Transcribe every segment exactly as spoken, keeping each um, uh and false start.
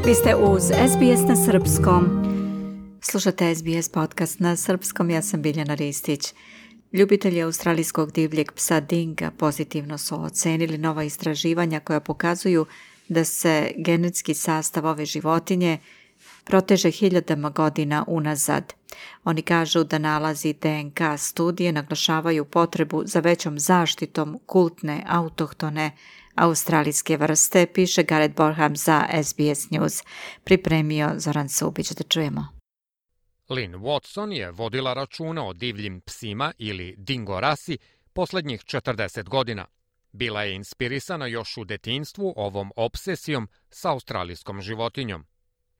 Vi ste uz S B S na srpskom. Slušate S B S podcast na srpskom, ja sam Biljana Ristić. Ljubitelji australijskog divljeg psa dinga pozitivno su ocenili nova istraživanja koja pokazuju da se genetski sastav ove životinje proteže hiljadama godina unazad. Oni kažu da nalazi D N K studije naglašavaju potrebu za većom zaštitom kultne autohtone australijske vrste, piše Gareth Borham za S B S News. Pripremio Zoran Subić, da čujemo. Lynn Watson je vodila računa o divljim psima ili dingo rasi posljednjih četrdeset godina. Bila je inspirisana još u detinjstvu ovom obsesijom sa australijskom životinjom.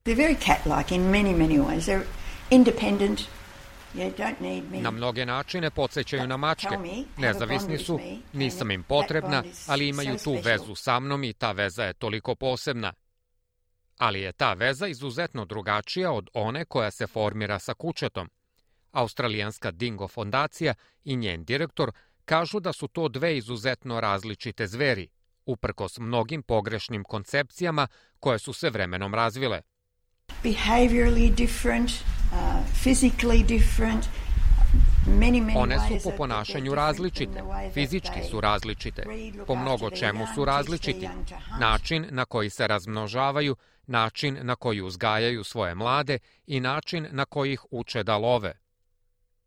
They're very cat-like in many, many ways. They're independent. You don't need me. Na mnoge načine podsjećaju na mačke. Nezavisni su, nisam im potrebna, ali imaju tu vezu sa mnom i ta veza je toliko posebna. Ali je ta veza izuzetno drugačija od one koja se formira sa kućetom. Australijanska Dingo fondacija i njen direktor kažu da su to dve izuzetno različite zveri, uprkos mnogim pogrešnim koncepcijama koje su se vremenom razvile. Behaviorally different, uh, physically different. Many, many One su ways po that ponašanju they're različite, different in the way that fizički they su različite, breed, look po after mnogo their čemu young, su teach različiti, their young to hunt. način na koji se razmnožavaju, način na koji uzgajaju svoje mlade i način na koji ih uče da love.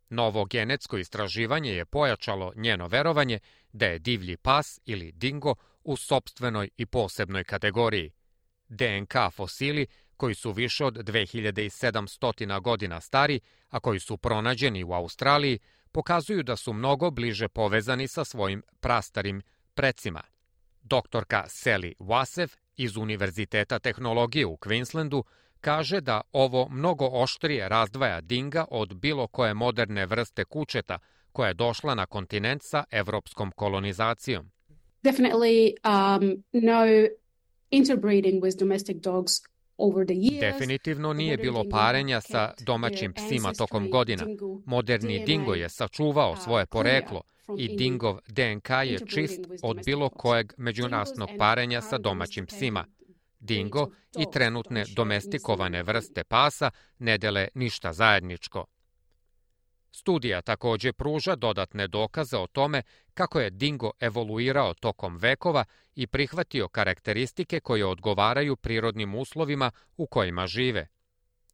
Novo genetsko istraživanje je pojačalo njeno verovanje da je divlji pas ili dingo u sopstvenoj i posebnoj kategoriji. D N K fosili koji su više od dve hiljade sedamsto godina stari, a koji su pronađeni u Australiji, pokazuju da su mnogo bliže povezani sa svojim prastarim precima. Doktorka Sally Wasev iz Univerziteta tehnologije u Queenslandu kaže da ovo mnogo oštrije razdvaja dinga od bilo koje moderne vrste kućeta koja je došla na kontinent sa evropskom kolonizacijom. Definitely um, no interbreeding with domestic dogs over the years. Definitivno nije bilo parenja sa domaćim psima tokom godina. Moderni dingo je sačuvao svoje poreklo i dingov D N K je čist od bilo kojeg međunasnog parenja sa domaćim psima. Dingo i trenutne domestikovane vrste pasa ne dele ništa zajedničko. Studija također pruža dodatne dokaze o tome kako je dingo evoluirao tokom vekova i prihvatio karakteristike koje odgovaraju prirodnim uslovima u kojima žive.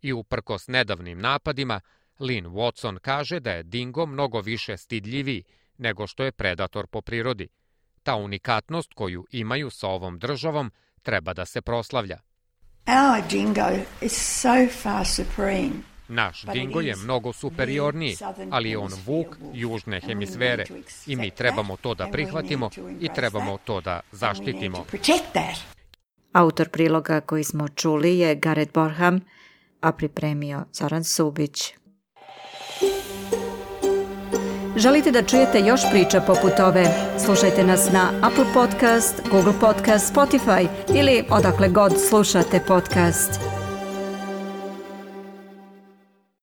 I uprkos nedavnim napadima, Lynn Watson kaže da je dingo mnogo više stidljiviji nego što je predator po prirodi. Ta unikatnost koju imaju sa ovom državom treba da se proslavlja. Our dingo is so far supreme. Naš dingo je mnogo superiorniji, ali je on vuk južne hemisfere i mi trebamo to da prihvatimo i trebamo to da zaštitimo. Autor priloga koji smo čuli je Gareth Borham, a pripremio Zoran Subić. Želite da čujete još priča poput ove? Slušajte nas na Apple Podcast, Google Podcast, Spotify ili odakle god slušate podcast.